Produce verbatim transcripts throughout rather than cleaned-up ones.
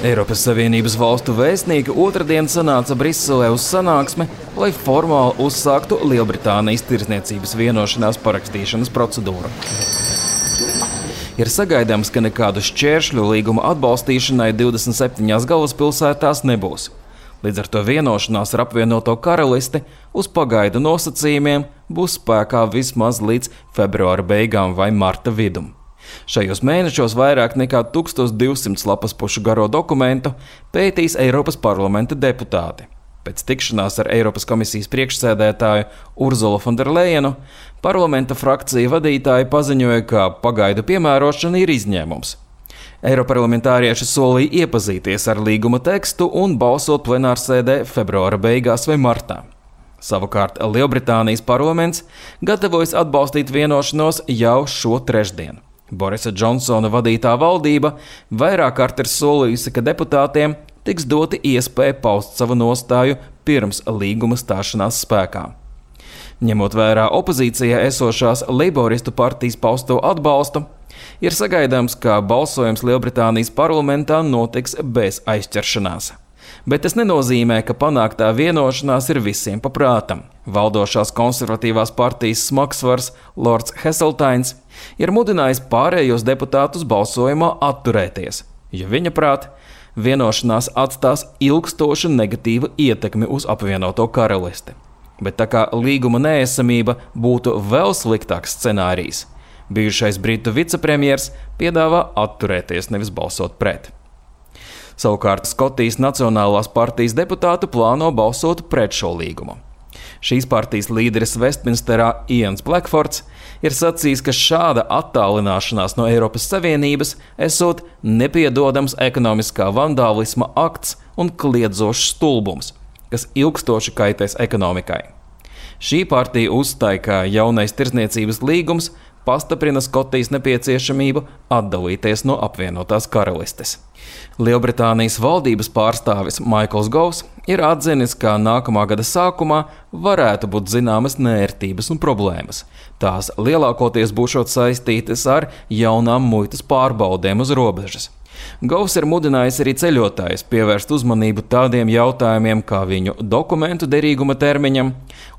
Eiropas Savienības valstu vēstnieki otrdien sanāca Briselē uz sanāksmi, lai formāli uzsāktu Lielbritānijas tirdzniecības vienošanās parakstīšanas procedūru. Ir sagaidāms, ka nekādu šķēršļu līguma atbalstīšanai divdesmit septiņās galvaspilsētās nebūs. Līdz ar to vienošanās ar apvienoto karalisti uz pagaidu nosacījumiem būs spēkā vismaz līdz februāra beigām vai marta vidum. Šajos mēnešos vairāk nekā tūkstoš divsimt lapas pušu garo dokumentu pētīs Eiropas parlamenta deputāti. Pēc tikšanās ar Eiropas komisijas priekšsēdētāju Urzulu Fonderlejenu parlamenta frakcija vadītāji paziņoja, ka pagaidu piemērošana ir izņēmums. Eiroparlamentārieši solīja iepazīties ar līguma tekstu un balsot plenārsēdē februāra beigās vai martā. Savukārt Lielbritānijas parlaments gatavojas atbalstīt vienošanos jau šo trešdienu. Borisa Džonsona vadītā valdība vairāk kārt ir solījusi, ka deputātiem tiks doti iespēja paust savu nostāju pirms līguma stāšanās spēkā. Ņemot vērā opozīcijā esošās Leiboristu partijas pausto atbalstu, ir sagaidāms, ka balsojums Lielbritānijas parlamentā notiks bez aizķeršanās. Bet tas nenozīmē, ka panāktā vienošanās ir visiem pa prātam. Valdošās konservatīvās partijas smagsvars Lords Heseltains ir mudinājis pārējos deputātus balsojumā atturēties, jo viņa prāt vienošanās atstās ilgstošu negatīvu ietekmi uz apvienoto karalisti. Bet tā kā līguma neesamība būtu vēl sliktāks scenārijs, bijušais britu vicepremjers piedāvā atturēties, nevis balsot pret. Savukārt Skotijas Nacionālās partijas deputāti plāno balsot pret šo līgumu. Šīs partijas līderis Vestminsterā Ians Blackfords ir sacījis, ka šāda attālināšanās no Eiropas Savienības esot nepiedodams ekonomiskā vandālisma akts un kliedzošs stulbums, kas ilgstoši kaitēs ekonomikai. Šī partija uzstāja, ka jaunais tirdzniecības līgums pastiprina Skotijas nepieciešamību atdalīties no apvienotās karalistes. Lielbritānijas valdības pārstāvis Maikls Govs ir atzinis, ka nākamā gada sākumā varētu būt zināmas neērtības un problēmas. Tās lielākoties būšot saistītas ar jaunām muitas pārbaudēm uz robežas. Govs ir mudinājis arī ceļotājus pievērst uzmanību tādiem jautājumiem kā viņu dokumentu derīguma termiņam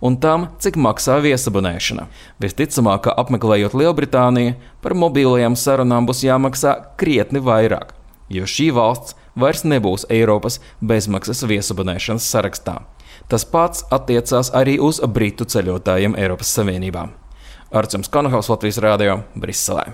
un tam, cik maksā viesabonēšana. Visticamāk, ka apmeklējot Lielbritāniju, par mobilajām sarunām būs jāmaksā krietni vairāk, jo šī valsts vairs nebūs Eiropas bezmaksas viesabonēšanas sarakstā. Tas pats attiecās arī uz britu ceļotājiem Eiropas Savienībā. Arčuns Konohaus, Latvijas radio, Briselē.